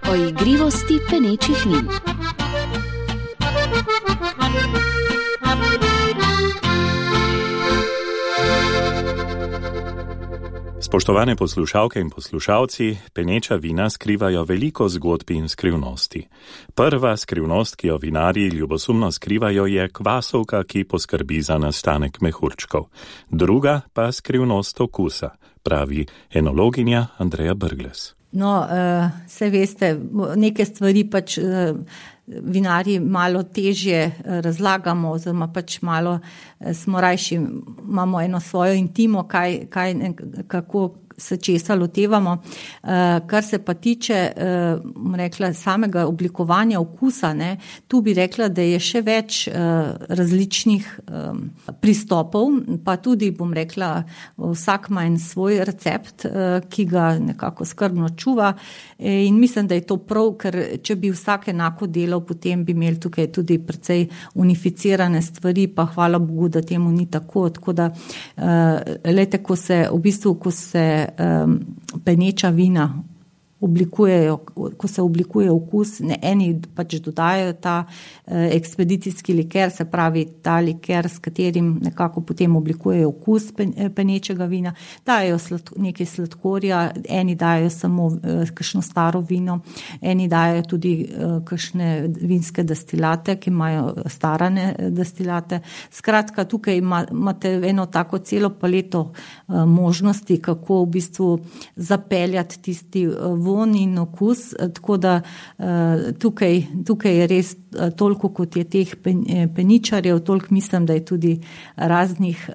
O igrivosti penečih vin. Spoštovane poslušalke in poslušalci, peneča vina skrivajo veliko zgodb in skrivnosti. Prva skrivnost, ki jo vinarji ljubosumno skrivajo, je kvasovka, ki poskrbi za nastanek mehurčkov. Druga pa skrivnost okusa, pravi enologinja Andreja Brglez. Saj veste, neke stvari pač vinarji malo težje razlagamo, oziroma pač malo smo rajši, imamo eno svojo intimo, kako se česa lotevamo. Kar se pa tiče, rekla, samega oblikovanja okusa, tu bi rekla, da je še več različnih pristopov, pa tudi, bom rekla, vsak ima en svoj recept, ki ga nekako skrbno čuva, in mislim, da je to prav, ker če bi vsak enako delal, potem bi imeli tukaj tudi precej unificirane stvari, pa hvala Bogu, da temu ni tako, tako da lejte, ko se peneča vina oblikujejo, ko se oblikuje okus, eni pač dodajajo ta ekspedicijski liker, se pravi ta liker, s katerim nekako potem oblikujejo okus penečega vina, dajo nekaj sladkorja, eni dajo samo kakšno staro vino, eni dajo tudi kakšne vinske destilate, ki imajo starane destilate. Skratka, tukaj imate eno tako celo paleto možnosti, kako v bistvu zapeljati tisti von in okus, tako da tukaj je res toliko, kot je teh peničarjev, toliko mislim, da je tudi raznih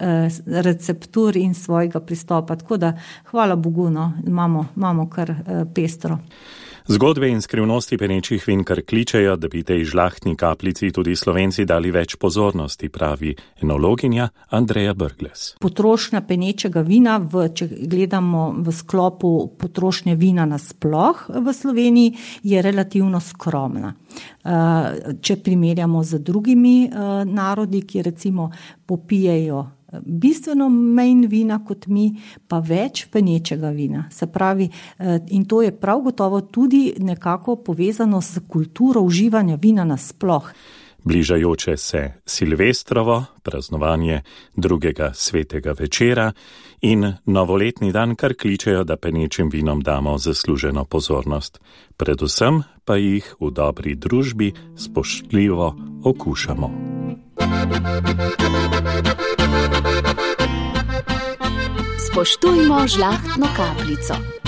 receptur in svojega pristopa, tako da hvala Bogu, imamo kar pestro. Zgodbe in skrivnosti penečih vin kar kličejo, da bi tej žlahtni kapljici tudi Slovenci dali več pozornosti, pravi enologinja Andreja Brglez. Potrošnja penečega vina, če gledamo v sklopu potrošnje vina nasploh v Sloveniji, je relativno skromna. Če primerjamo z drugimi narodi, ki recimo popijejo bistveno manj vina kot mi, pa več penečega vina. Se pravi, in to je prav gotovo tudi nekako povezano s kulturo uživanja vina nasploh. Bližajoče se Silvestrovo, praznovanje drugega svetega večera in novoletni dan kar kličejo, da penečim vinom damo zasluženo pozornost. Predvsem pa jih v dobri družbi spoštljivo okušamo. Spoštujmo žlahtno kapljico.